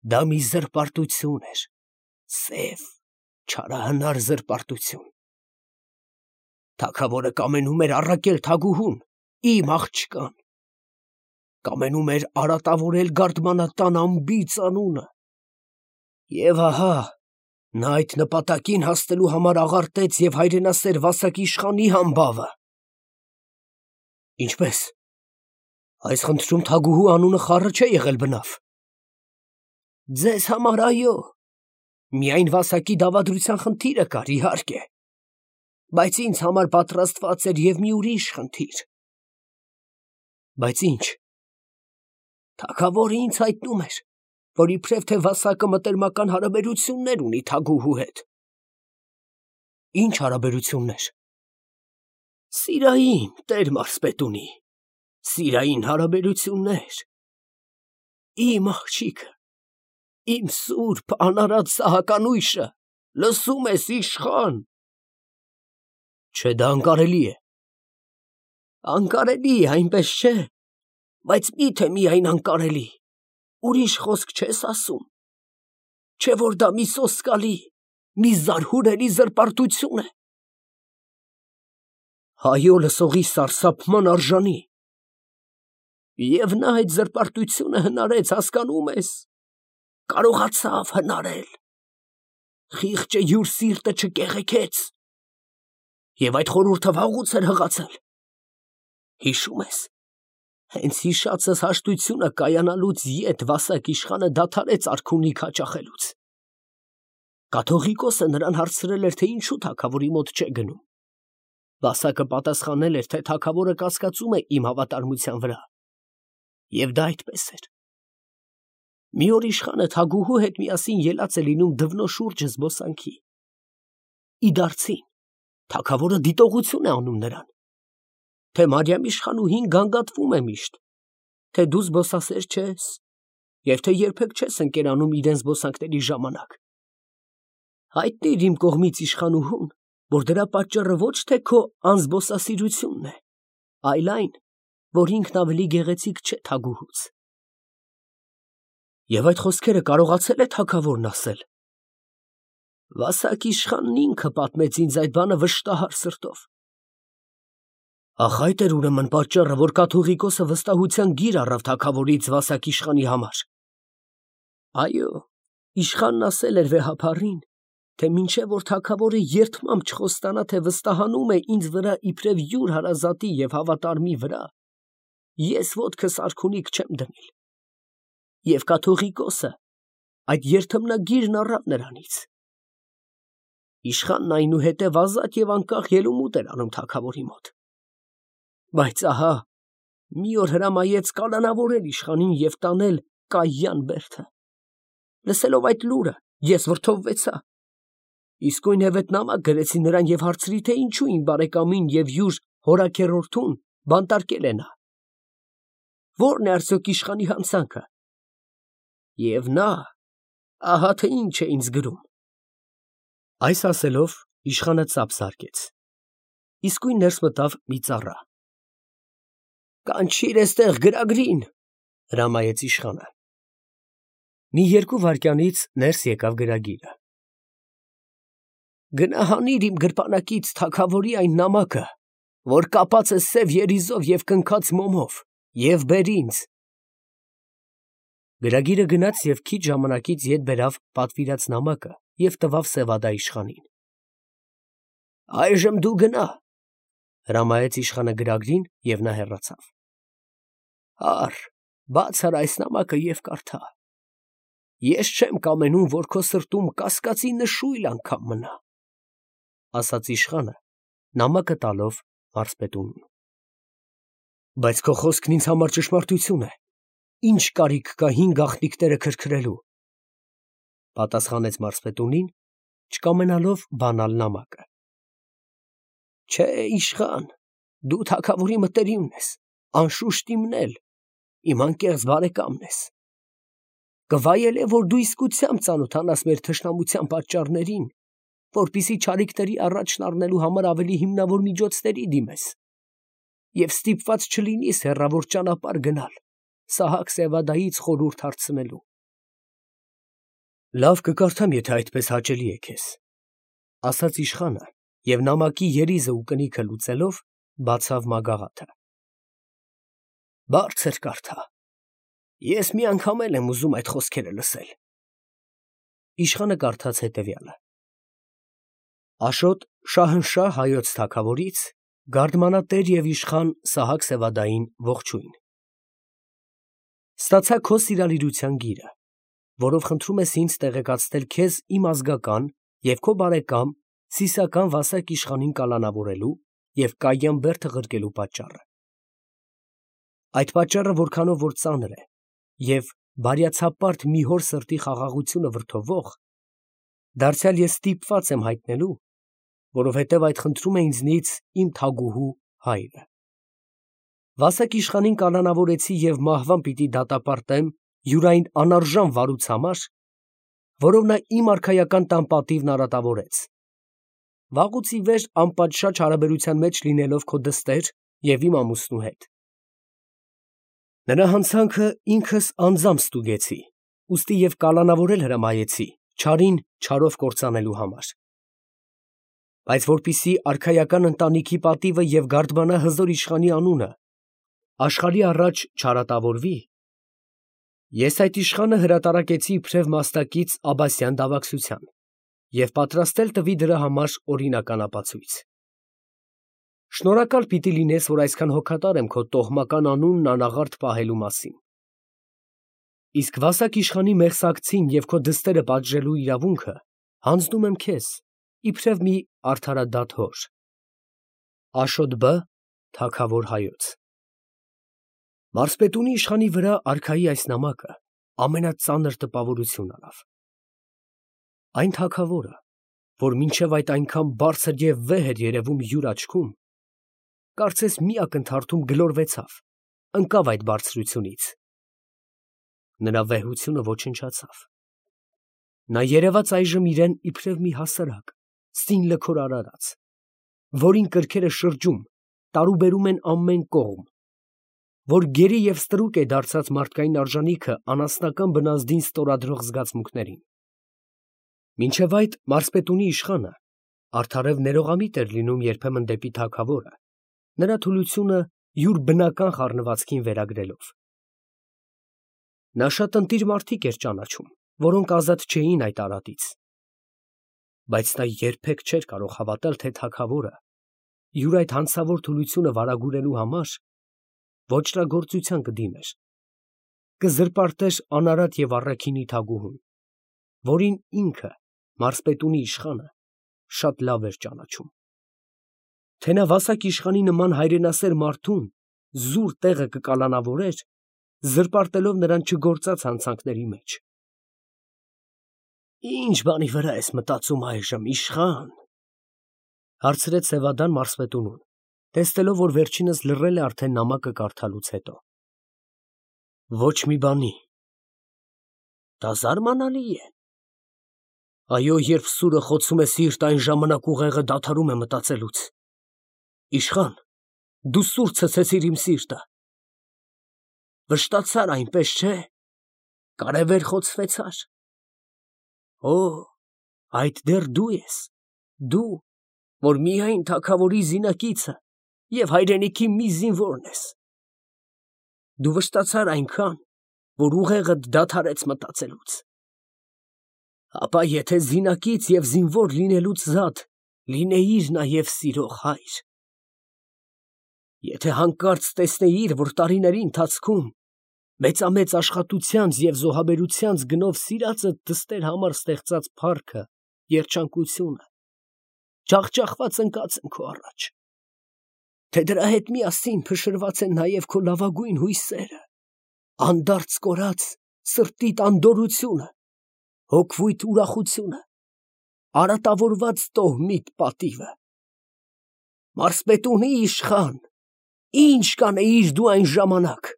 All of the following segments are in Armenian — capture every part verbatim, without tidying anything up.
Դա մի զրպարտություն էր, սև, չարահնար զրպարտություն։ Թագավորը կամենում էր առաքել թագուհուն, իմ աղջկան, կամենում էր արատավորել գարդմանատան անբիծ անունը, և ահա նա այդ նպատակին հասնելու համար աղարտեց և հայրենասեր Վասակ իշխանի համբավը։ Ինչպե՞ս, այս խնդրում թագուհու անունը խառը չէ եղել բնավ։ Ձեզ համար այո, միայն Վասակի դավադրության խնդիրը կար, իհարկե, բայց ինձ համար պատրաստված էր և մի ուրիշ խնդիր։ Բայց ի՞նչ։ Թագավորը ինձ հայտնում էր, որ իբրև թե Վասակը մտերմական հարաբերություններ ունի թագուհու հետ։ Ի՞նչ հարաբերություններ։ Սիրային, տեր մարզպետունի, սիրային հարաբերություններ։ Իմ աղջիկը, իմ սուրբ անարատ սահականույշը, լսո՞ւմ ես, իշխան։ Չէ, դա անկարելի է։ Անկարելի է, այնպես չէ, բայց մի՞թե միայն անկարելի, ուրիշ խոսք չես ասում, չէ՞ որ դա մի սոսկալի, մի զարհուրելի զրպարտություն է։ Այո, լսողի սարսափման արժանի։ Եվ նա այդ զրպարտությունը հնարեց, հասկանո՞ւմ ես, կարողացավ հնարել։ Խիղճը յուր սիրտը չկեղեքեց, և այդ խորհուրդը վաղուց էր հղացել։ Հիշո՞ւմ ես, հենց հիշածս հաշտությունը կայանալուց ետ Վասակ իշխանը դադարեց արքունիք հաճախելուց։ Կաթողիկոսը նրան հարցրել էր, թե ինչու թագավորի մոտ չէ գնում։ Վասակը պատասխանել էր, թե թագավորը կասկածում է իմ հավատարմության վրա, և դա այդպես էր։ Մի օր իշխանը թագուհու հետ միասին ելած է լինում դվնո շուրջը զբոսանքի։ Իդարցին թագավորը դիտողություն է անում նրան, թե Մարիամ իշխանուհին գանգատվում է միշտ, թե դու զբոսասեր չես, և թե երբեք չես ընկերանում իրեն զբոսանքների ժամանակ։ Հայտնիր իմ կողմից իշխանուհուն, որ դրա պատճառը ոչ թե քո անզբոսասիրությունն է, այլ այն, որ ինքն ավելի գեղեցիկ չէ թագուհուց։ Եվ այդ խոսքերը կարողացել է թագավորն ասել։ Վասակ իշխանն ինքը պատմեց ինձ այդ բանը վշտահար սրտով։ Ախ, այդ էր ուրեմն պատճառը, որ կաթողիկոսը վստահության գիր առավ թագավորից Վասակ իշխանի համար։ Այո, իշխանն ասել էր վեհափառին, թե մինչև որ թագավորը երդմամբ չխոստանա, թե վստահանում է ինձ վրա իբրև յուր հարազատի և հավատարմի վրա, ես ոտքս արքունիք չեմ դնել։ Եվ կաթողիկոսը այդ երդմնագիրն առավ նրանից։ Իշխանն այնուհետև ազատ և անկախ ելումուտ էր անում թագավորի մոտ։ Բայց ահա, մի օր հրամայեց կալանավորել իշխանին և տանել կայյան բերդը։ Լսելով այդ լուրը, ես վրդովվեցա։ Իսկույն հետ նամակ գրեցի նրան և հարցրի, թե ինչու իմ բարեկամին և յուր հորաքեռորդուն բանտարկել է նա։ Ո՞րն է արդյոք իշխանի հանցանքը։ Եվ նա ահա թե ինչ է ինձ գրում։ Այս ասելով իշխանը ծափ զարկեց։ Իսկույն ներս մտավ մի ծառա։ Կանչիր էստեղ գրագրին, հրամայեց իշխանը։ Մի երկու վայրկյանից ներս եկավ գրագիրը։ Գնահանիր իմ գրպանակից թագավորի այն նամակը, որ կապած է սև երիզով և կնքած մոմով, և բեր ինձ։ Գրագիրը գնաց և քիչ ժամանակից ետ բերավ պատվիրած նամակը և տվավ Սևադա իշխանին։ Այժմ դու գնա, հրամայեց իշխանը գրագրին, և նա հեռացավ։ Առ, բաց արա այս նամակը և կարդա։ Ես չեմ կամենում, որ քո սրտում կասկածի նշույլ անգամ մնա, ասաց իշխանը, նամակը տալով մարզպետունին։ Բայց քո խոսքն ինձ համար ճշմարտություն է, ինչ կարիք կա հին գաղտնիքները քրքրելու, պատասխանեց մարզպետունին, չկամենալով բանալ նամակը։ Չէ, իշխան, դու թագավորի մտերիմն ես, անշուշտ իմն էլ, իմ անկեղծ բարեկամն ես։ Կվայելե, որ դու իսկությամբ ծանոթանաս մեր թշնամության պատճառներին, որպեսզի չարիքների առաջն առնելու համար ավելի հիմնավոր միջոցների դիմես, և ստիպված չլինիս հեռավոր ճանապարհ գնալ Սահակ Սևադայից խորհուրդ հարցնելու։ Լավ կկարդամ, եթե այդպես հաճելի է քեզ, ասաց իշխանը և նամակի երիզը ու կնիքը լուծելով բացավ մագաղաթը։ Բարձր կարդա, ես մի անգամ էլ եմ ուզում այդ խոսքերը լսել։ Իշխանը կարդաց հետևյալը. Աշոտ Շահնշահ հայոց թագավորից գարդմանատեր և իշխան Սահակ Սևադային ողջույն։ Ստացա քո սիրալիրության գիրը, որով խնդրում ես ինձ տեղեկացնել քեզ իմ ազգական և քո բարեկամ Սիսիական Վասակ իշխանին կալանավորելու և Կայյան բերդը ղրկելու պատճառը։ Այդ պատճառը որքանով որ ծանր է և բարյացապարտ մի հոր սրտի խաղաղությունը վրդովող, դարձյալ ես ստիպված եմ հայտնելու, որովհետև այդ խնդրում է ինձնից իմ թագուհու հայրը։ Վասակ իշխանին կալանավորեցի և մահվան պիտի դատապարտեմ յուրային անարժան վարուց համար, որով նա իմ արքայական տան պատիվն արատավորեց, վաղուց ի վեր անպատշաճ հարաբերության մեջ լինելով քո դստեր և իմ ամուսնու հետ։ Նրա հանցանքը ինքս անձամբ ստուգեցի, ուստի և կալանավորել հրամայեցի չարին չարով կործանելու համար։ Բայց որպեսզի արքայական ընտանիքի պատիվը և գարդմանա հզոր իշխանի անունը աշխարհի առաջ չարատավորվի, ես այդ իշխանը հրատարակեցի իբրև մաստակից Աբասյան դավաքսության և պատրաստել տվի դրա համար օրինական ապացույց։ Շնորհակալ պիտի լինես, որ այսքան հոգատար եմ քո տոհմական անունն անաղարտ պահելու մասին։ Իսկ Վասակ իշխանի մեղսակցին և քո դստերը պատժելու իրավունքը հանձնում եմ քեզ, իբրև մի արդարադատ հոր։ Աշոտ Բ. թագավոր հայոց։ Մարսպետունի իշխանի վրա արքայի այս նամակը ամենածանր տպավորություն արավ։ Այն թագավորը, որ մինչև այդ այնքան բարձր և վեհ էր երևում յուր աչքում, կարծես մի ակնթարթում գլորվեցավ, ընկավ այդ բարձրությունից։ Նրա վեհությունը ոչնչացավ։ Նա երևաց այժմ իրեն իբրև մի հասարակ, սին լքոր արարած, որին կրքերը շրջում, տարուբերում են ամեն կողմ, որ գերի և ստրուկ է դարձած մարդկային արժանիքը անասնական բնազդին ստորագրող զգացմունքներին։ Մինչև այդ մարսպետունի իշխանը արդարև ներողամիտ էր լինում երբեմն դեպի թագավորը, նրա թուլությունը յուր բնական խառնվածքին վերագրելով։ Նա շատ ընտիր մարդիկ էր ճանաչում, որոնք ազատ չէին այդ արատից։ Բայց նա երբեք չէր կարող հավատալ, թե թագավորը յուր այդ հանցավոր թուլությունը վարագուրելու համար ոճրագործության կդիմեր, կզրպարտեր անարատ և առաքինի թագուհուն, որին ինքը, մարսպետունի իշխանը, շատ լավ էր ճանաչում։ Թե նա Վասակ իշխանի նման հայրենասեր մարդուն զուր տեղը կկալանավորեր, զրպարտելով նրան չգործած հանցանքների մեջ։ Ի՞նչ բանի վրա ես մտածում այժմ, իշխան, ֊ հարցրեց Սևադան մարսպետունուն, տեսնելով, որ վերջինս լռել է արդեն նամակը կարդալուց հետո։ Ոչ մի բանի։ Դա զարմանալի է։ Այո, երբ սուրը խոցում է սիրտ, այն ժամանակ ուղեղը դադարում է մտածելուց։ Իշխան, դու սուր ցցեցիր իմ սիրտը։ Վշտացար, այնպես չէ՞։ Կարևեր խոցվեցար։ Օ, այդ դեռ դու ես, դու, որ միայն թագավորի զինակիցը և հայրենիքի մի զինվորն ես։ Դու վշտացար այնքան, որ ուղեղդ դադարեց մտածելուց։ Ապա եթե զինակից և զինվոր լինելուց զատ լինեիր նաև սիրող հայր։ Եթե հանկարծ տեսնեիր, որ տարիների ընթացքում մեծամեծ աշխատությանց և զոհաբերությանց գնով սիրածդ դստեր համար ստեղծած փառքը, երջանկությունը, ջախջախված ընկած են քո առաջ, թե դրա հետ միասին փշրված են նաև քո լավագույն հույսերը, անդարձ կորած սրտիդ անդորրությունը, հոգվույթ ուրախությունը, արատավորված տոհմիդ պատիվը։ Մարսպետունի իշխան, ի՞նչ կանեիր դու այն ժամանակ։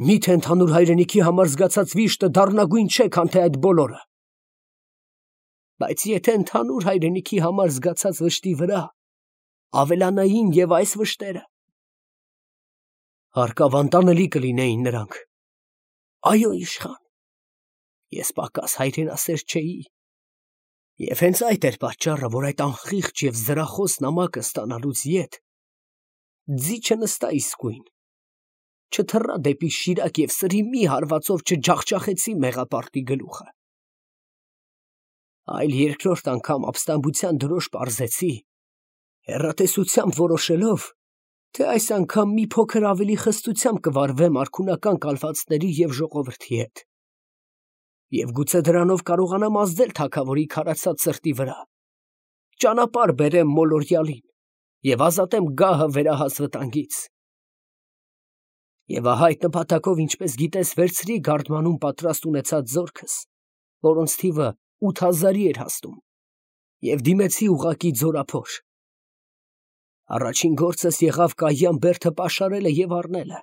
Միթե ընդհանուր հայրենիքի համար զգացած վիշտը դառնագույն չէ, քան թե այդ բոլորը։ Բայց եթե ընդհանուր հայրենիքի համար զգացած վշտի վրա ավելանային և այս վշտերը, հարկավ անտանելի կլինեին նրանք։ Այո, իշխան, Ես պակաս հայրենասեր չէի, և հենց այդ էր պատճառը, որ այդ անխիղճ և զրախոս նամակը ստանալուց ետ ձիչը նստա իսկույն, չթռա դեպի Շիրակ և սրի մի հարվածով չջախջախեցի մեղապարտի գլուխը, այլ երկրորդ անգամ ապստամբության դրոշ պարզեցի, հեռատեսությամբ որոշելով, թե այս անգամ մի փոքր ավելի խստությամբ կվարվեմ արքունական կալվածների և ժողովրդի հետ, և գուցե դրանով կարողանամ ազդել թագավորի քարացած սրտի վրա, ճանապարհ բերեմ մոլորյալին և ազատեմ գահը վերահաս վտանգից։ Եվ ահա այդ նպատակով, ինչպես գիտես, վերցրի գարդմանում պատրաստ ունեցած զորքս, որոնց թիվը ութ հազարի էր հասնում, և դիմեցի ուղղակի ձորափոր։ Առաջին գործս եղավ կայյան բերդը պաշարելը և առնելը։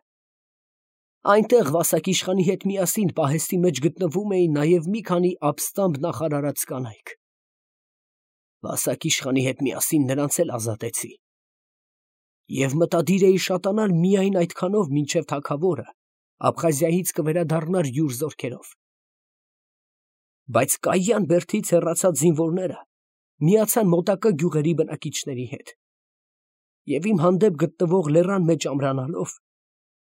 Այնտեղ Վասակ իշխանի հետ միասին պահեստի մեջ գտնվում էին նաև մի քանի ապստամբ նախարարած կանայք։ Վասակ իշխանի հետ միասին նրանց էլ ազատեցի։ Եվ մտադիր էի շատանալ միայն այդքանով, մինչև թագավորը Աբխազիայից կվերադառնար յուր զորքերով։ Բայց կայյան բերդից հեռացած զինվորները միացան մոտակա գյուղերի բնակիչների հետ, և իմ հանդեպ գտնվող լեռան մեջ ամրանալով,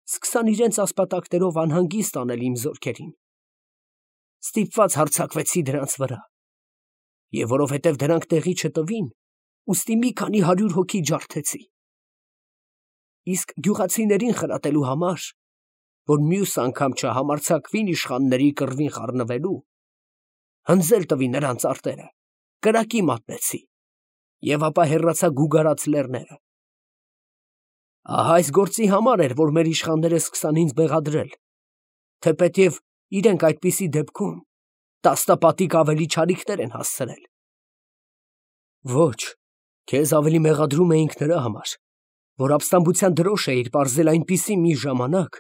սկսան իրենց ասպատակներով անհանգիստ անել իմ զորքերին։ Ստիպված հարձակվեցի դրանց վրա, և որովհետև դրանք տեղի չտվին, ուստի մի քանի հարյուր հոգի ջարդեցի։ Իսկ գյուղացիներին խրատելու համար, որ մյուս անգամ չհամարձակվին իշխանների կռվին խառնվելու, հնձել տվի նրանց արտերը, կրակի մատնեցի, և ապա հեռացա գուգարած լեռները։ Ահա այս գործի համար էր, որ մեր իշխանները սկսան ինձ մեղադրել, թեպետև իրենք այդպիսի դեպքում տասնապատիկ ավելի չարիքներ են հասցրել։ Ոչ, քեզ ավելի մեղադրում էինք նրա համար, որ ապստամբության դրոշ էիր պարզել այնպիսի մի ժամանակ,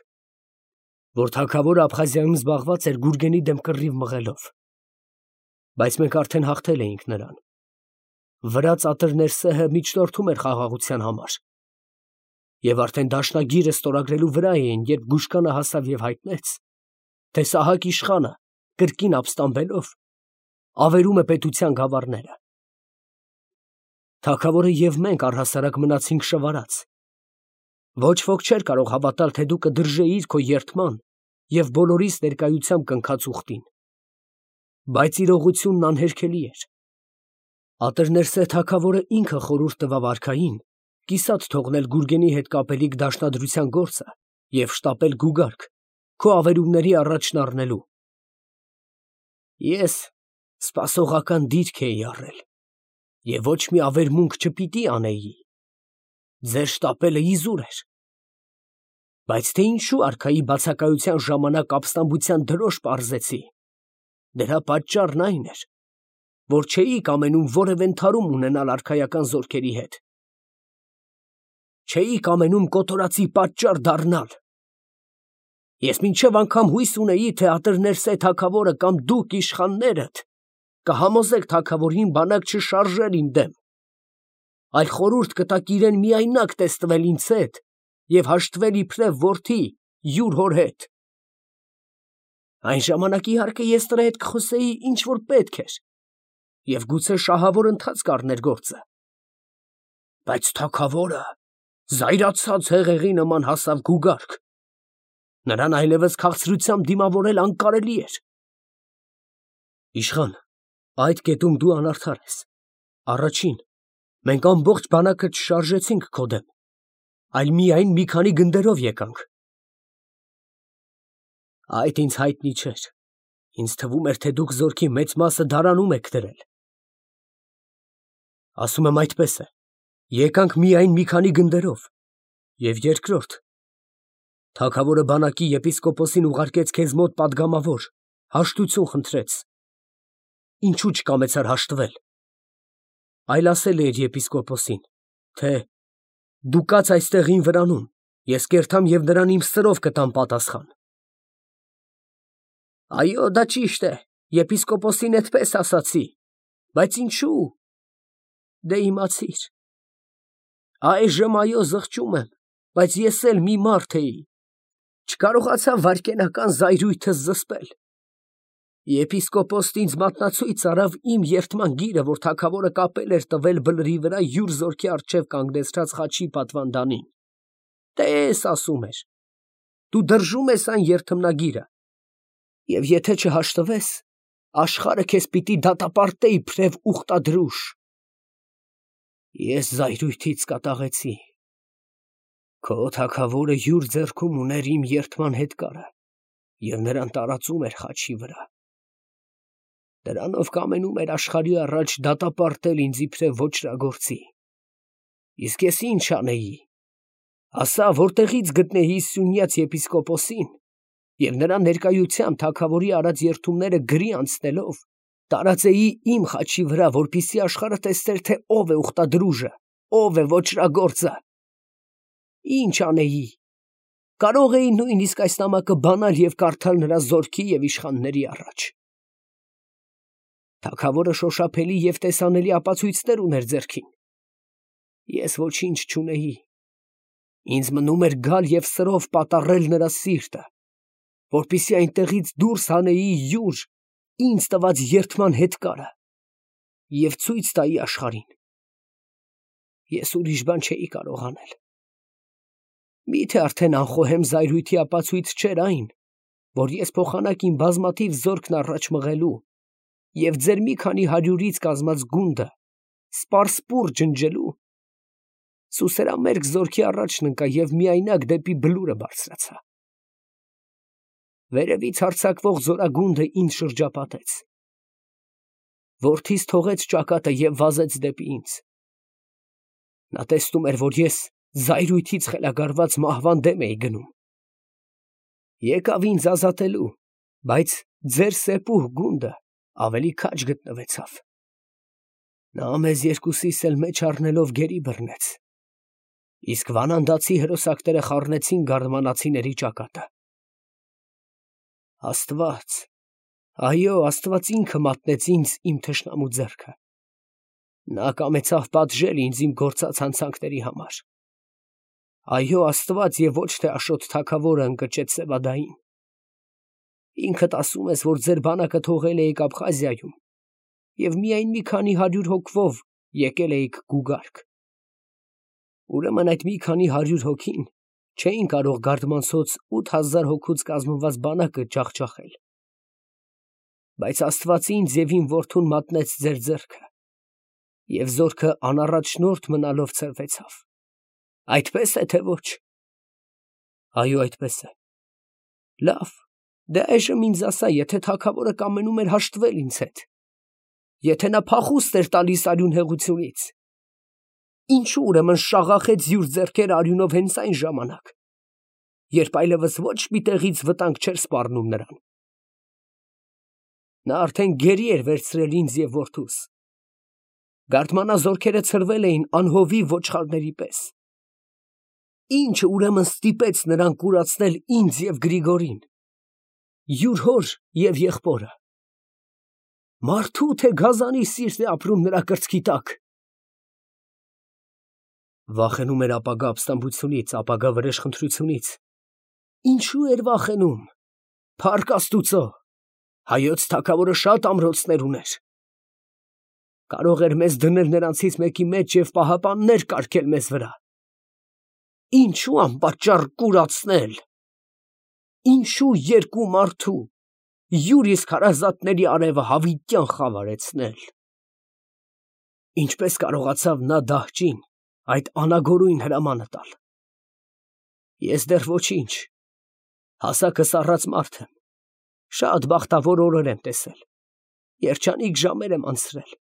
որ թագավորը Աբխազիայում զբաղված էր Գուրգենի դեմ կռիվ մղելով։ Բայց մենք արդեն հաղթել էինք նրան։ Վրա ծատրներ սեհը միջնորդում էր խաղաղության համար, և արդեն դաշնագիրը ստորագրելու վրա էին, երբ Գուշկանը հասավ և հայտնեց, թե Սահակ իշխանը, կրկին ապստամբելով, ավերում է պետության գավառները։ Թագավորը և մենք առհասարակ մնացինք շվարած։ Ոչ ոք չէր կարող հավատալ, թե դու կդրժեիր քո երդման և բոլորիս ներկայությամբ կնքած ուխտին։ Բայց իրողությունն անհերքելի էր։ Ատըրներսե թագավորը ինքը խորհուրդ տվավ արքային կիսատ թողնել Գուրգենի հետ կապելիք դաշնադրության գործը և շտապել գուգարք, քո ավերումների առաջն առնելու։ Ես սպասողական դիրք էի առել և ոչ մի ավերմունք չպիտի անեի, ձեր շտապելը իզուր էր։ Բայց թե ինչու արքայի բացակայության ժամանակ ապստամբության դրոշ պարզեցի, դրա պատճառն այն էր, որ չէի կամենում որևէ ընդհարում ունենալ արքայական զորքերի հետ, չէի կամենում կոտորածի պատճառ դառնալ։ Ես մինչև անգամ հույս ունեի, թե Ատըրներսե թագավորը կամ դուք իշխաններդ կհամոզեք թագավորին բանակ չշարժել իմ դեմ, այլ խորհուրդ կտաք իրեն միայնակ տեստվել ինձ հետ և հաշտվել իբրև որդի յուր հոր հետ։ Այն ժամանակ, իհարկե, ես նրա հետ կխոսեի, ինչ որ պետք էր, և գուցե շահավոր ընթացք առներ գործը։ Բայց թագավորը զայրացած հեղեղի նման հասավ գուգարք, նրան այլևս քաղցրությամբ դիմավորել անկարելի էր։ Իշխան, այդ կետում դու անարդար ես։ Առաջին, մենք ամբողջ բանակը չշարժեցինք քո դեմ, այլ միայն մի քանի գնդերով եկանք։ Այդ ինձ հայտնի չէր, ինձ թվում էր, թե դուք զորքի մեծ մասը դարանում եք դրել։ Ասում եմ այդպես է, եկանք միայն մի քանի գնդերով, և երկրորդ, թագավորը բանակի եպիսկոպոսին ուղարկեց քեզ մոտ պատգամավոր, հաշտություն խնդրեց, ինչու չկամեցար հաշտվել, այլ ասել է իր եպիսկոպոսին, թե դու կաց այստեղ իմ վրանում, ես կերտամ և նրան իմ սրով կտամ պատասխան։ Այո, դա ճիշտ է, եպիսկոպոսին էդպես ասացի, բայց ինչու՞։ Դե իմացիր։ Այժմ այո, զղջում եմ, բայց ես էլ մի մարդ էի, չկարողացա վայրկենական զայրույթս զսպել։ Եպիսկոպոսն ինձ մատնացույց արավ իմ երդման գիրը, որ թագավորը կապել էր տվել բլրի վրա յուր զորքի առջև կանգնեցրած խաչի պատվանդանին։ Տես, ասում էր, դու դրժում ես այն երդմնագիրը, և եթե չհաշտվես, աշխարհը քեզ պիտի դատապարտե իբրև ուխտադրուժ։ Ես զայրույթից կատաղեցի։ Քո թագավորը յուր ձեռքում ուներ իմ երդման հետքարը և նրան տարածում էր խաչի վրա։ Դրանով կամենում էր աշխարհի առաջ դատապարտել ինձ իբրև ոճրագործի։ Իսկ ես ինչ անեի, ասա, որտեղից գտնեի Սյունյաց եպիսկոպոսին և նրա ներկայությամբ թագավորի արած երդումները գրի անցնելով տարածեի իմ խաչի վրա, որպեսզի աշխարհը տեսներ, թե ով է ուխտադրուժը, ով է ոճրագործը։ Ինչ անեի, կարող էի նույնիսկ այս նամակը բանալ և կարդալ նրա զորքի և իշխանների առաջ։ Թագավորը շոշափելի և տեսանելի ապացույցներ ուներ ձեռքին։ Ես ոչինչ չունեի։ Ինձ մնում էր գալ և սրով պատառել նրա սիրտը, որպեսզի այնտեղից դուրս հանեի յուր ինձ տված երդման հետքարը և ցույց տայի աշխարհին։ Ես ուրիշ բան չէի կարող անել։ Մի՞թե արդեն անխոհեմ զայրույթի ապացույց չէր այն, որ ես փոխանակ իմ բազմաթիվ զորքն առաջ մղելու և ձեր մի քանի հարյուրից կազմած գունդը սպարսուռ ջնջելու, սուսերամերկ զորքի առաջն ընկա և միայնակ դեպի Բլուրը բարձրացա։ Վերևից հարձակվող զորագունդը ինձ շրջապատեց։ Որդիս թողեց ճակատը և վազեց դեպի ինձ։ Նա տեսնում էր, որ ես զայրույթից խելագարված մահվան դեմ էի գնում։ Եկավ ինձ ազատելու, բայց ձեր սեպուհ գունդը ավելի քաջ գտնվեցավ։ Նա մեզ երկուսիս էլ մեջ առնելով գերի բռնեց, իսկ վանանդացի հրոսակները խառնեցին գարմանացիների ճակատը։ Աստված, այո, Աստված ինքը մատնեց ինձ իմ թշնամու ձեռքը։ Նա կամեցավ պատժել ինձ իմ գործած հանցանքների համար։ Այո, Աստված և ոչ թե Աշոտ թագավորը ընկճեց Սևադային։ Ինքդ ասում ես, որ ձեր բանակը թողել էիք Աբխազիայում և միայն մի քանի հարյուր հոգվով եկել էիք Գուգարք։ Ուրեմն այդ մի քանի հարյուր հոգին չէին կարող գարդմանցոց ութ հազար հոգուց կազմված բանակը ջախջախել։ Բայց Աստված ինձ և իմ որդուն մատնեց ձեր ձեռքը, և զորքը անառաջնորդ մնալով ցրվեցավ։ Այդպե՞ս է, թե ոչ։ Այո, այդպես է։ Լավ, դե այժմ ինձ ասա, եթե թագավորը կամենում էր հաշտվել ինձ հետ, եթե նա փախուստ էր տալիս արյունհեղությունից, ինչո՞ւ ուրեմն շաղախեց յուր ձեռքերը արյունով հենց այն ժամանակ, երբ այլևս ոչ մի տեղից վտանգ չէր սպառնում նրան։ Նա արդեն գերի էր վերցրել ինձ և որդուս։ Գարդմանազորքերը ցրվել էին անհովի ոչխարների պես։ Ի՞նչը ուրեմն ստիպեց նրան կուրացնել ինձ և Գրիգորին, յուր հոր և եղբորը։ Մարդու թե գազանի սիրտ է ապրում նրա կրծքի տակ։ Վախենում էր ապագա ապստամբությունից, ապագա վրեժխնդրությունից։ Ինչո՞ւ էր վախենում։ Փառք Աստուծո, հայոց թագավորը շատ ամրոցներ ուներ։ Կարող էր մեզ դնել նրանցից մեկի մեջ և պահապաններ կարգել մեզ վրա։ Ինչո՞ւ անպատճառ կուրացնել։ Ինչո՞ւ երկու մարդու յուր իսկ հարազատների արևը հավիտյան խավարեցնել։ Ինչպես կարողացավ նա դահճին այդ անագորույն հրամանը տալ։ Ես դեռ ոչինչ, հասակս առած մարդ եմ, շատ բախտավոր օրեր եմ տեսել, երջանիկ ժամեր եմ անցրել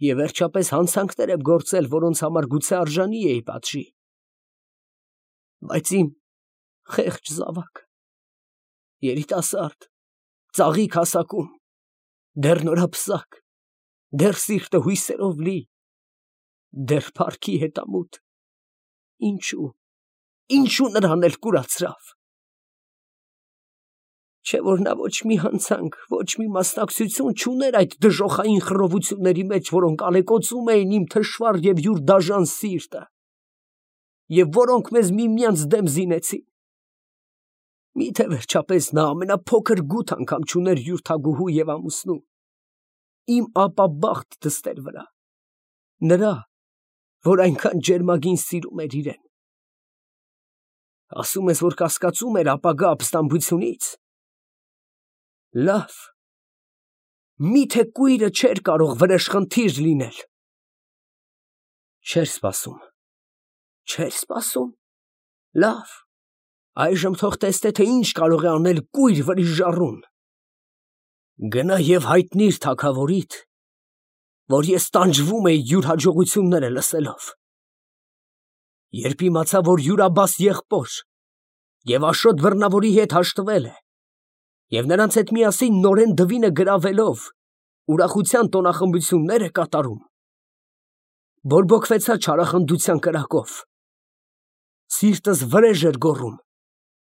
և վերջապես հանցանքներ եմ գործել, որոնց համար գուցե արժանի էի պատժի։ Բայց իմ խեղճ զավակը, երիտասարդ, ծաղիկ հասակում, դեռ նորապսակ, դեռ սիրտը հույսերով լի, դեռ փառքի հետամուտ, ինչո՞ւ, ինչո՞ւ նրան էլ կուրացրավ։ Չէ՞ որ նա ոչ մի հանցանք, ոչ մի մասնակցություն չուներ այդ դժոխային խռովությունների մեջ, որոնք ալեկոծում էին իմ թշվառ և յուր դաժան սիրտը, և որոնք մեզ միմյանց դեմ զինեցին։ Միթե վերջապես նա ամենափոքր գութ անգամ չուներ յուր թագուհու և ամուսնու, իմ ապաբախտ դստեր վրա, նրա, որ այնքան ջերմագին սիրում էր իրեն։ Ասում ես, որ կասկածում էր ապագա ապստամբությունից։ Լավ, միթե կույրը չէր կարող վրեժխնդիր լինել։ Չէր սպասում, չէր սպասում։ Լավ, այժմ թող տեսնե, թե ինչ կարող է անել կույր վրիժառուն։ Գնա և հայտնիր թագավորիդ, որ ես տանջվում էի յուր հաջողությունները լսելով։ Երբ իմացա, որ յուր Աբբաս եղբոր և Աշոտ Բռնավորի հետ հաշտվել է, և նրանց հետ միասին նորեն դվինը գրավելով ուրախության տոնախմբություններ է կատարում, բորբոքվեցա չարախնդության կրակով, սիրտս վրեժ էր գոռում,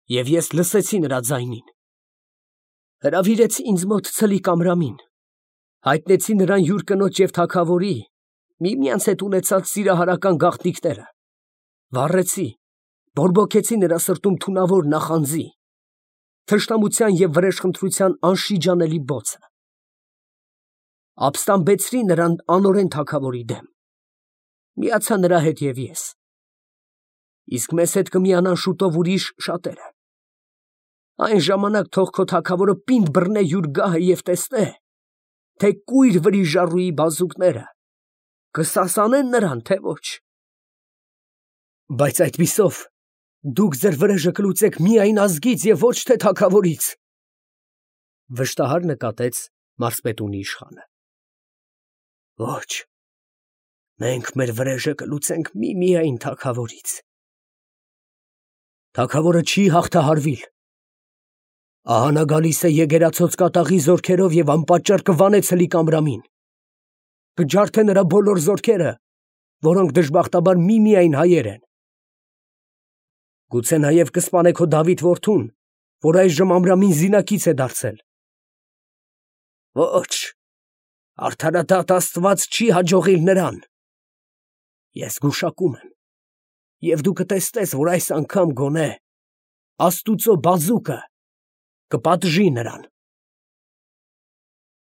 և ես լսեցի նրա ձայնին, հրավիրեցի ինձ մոտ ցլիկ Ամրամին, հայտնեցի նրան յուր կնոջ և թագավորի միմյանց հետ ունեցած սիրահարական գաղտնիքները, վառեցի, բորբոքեցի նրա սրտում թունավոր նախանձի, թշնամության և վրեժխնդրության անշիջանելի բոցը, ապստամբեցրի նրան անօրեն թագավորի դեմ, միացա նրա հետ և ես, իսկ մեզ հետ կմիանան շուտով ուրիշ շատերը, այն ժամանակ թող քո թագավորը պինդ բռնե յուր գահը և տեսնե, թե կույր վրիժառուի բազուկները կսասանեն նրան, թե ոչ։ Բայց այդպիսով դուք ձեր վրեժը կլուծեք միայն ազգից և ոչ թե թագավորից, վշտահար նկատեց մարզպետունի իշխանը։ Ոչ, մենք մեր վրեժը կլուծենք միմիայն թագավորից։ Թագավորը չի հաղթահարվիլ։ Ահա նա գալիս է եկեղեցոց կատաղի զորքերով և անպատճառ կվանե ցլիկ Ամրամին, կջարդե նրա բոլոր զորքերը, որոնք դժբախտաբար միմիայն հայեր են։ Գուցե նաև կսպանե քո Դավիթ որդուն, որ այժմ Ամրամին զինակից է դարձել։ Ոչ, արդարադատ Աստված չի հաջողիլ նրան։ Ես գուշակում եմ, և դու կտեսնես, որ այս անգամ գոնե աստուծո բազուկը կպատժի նրան։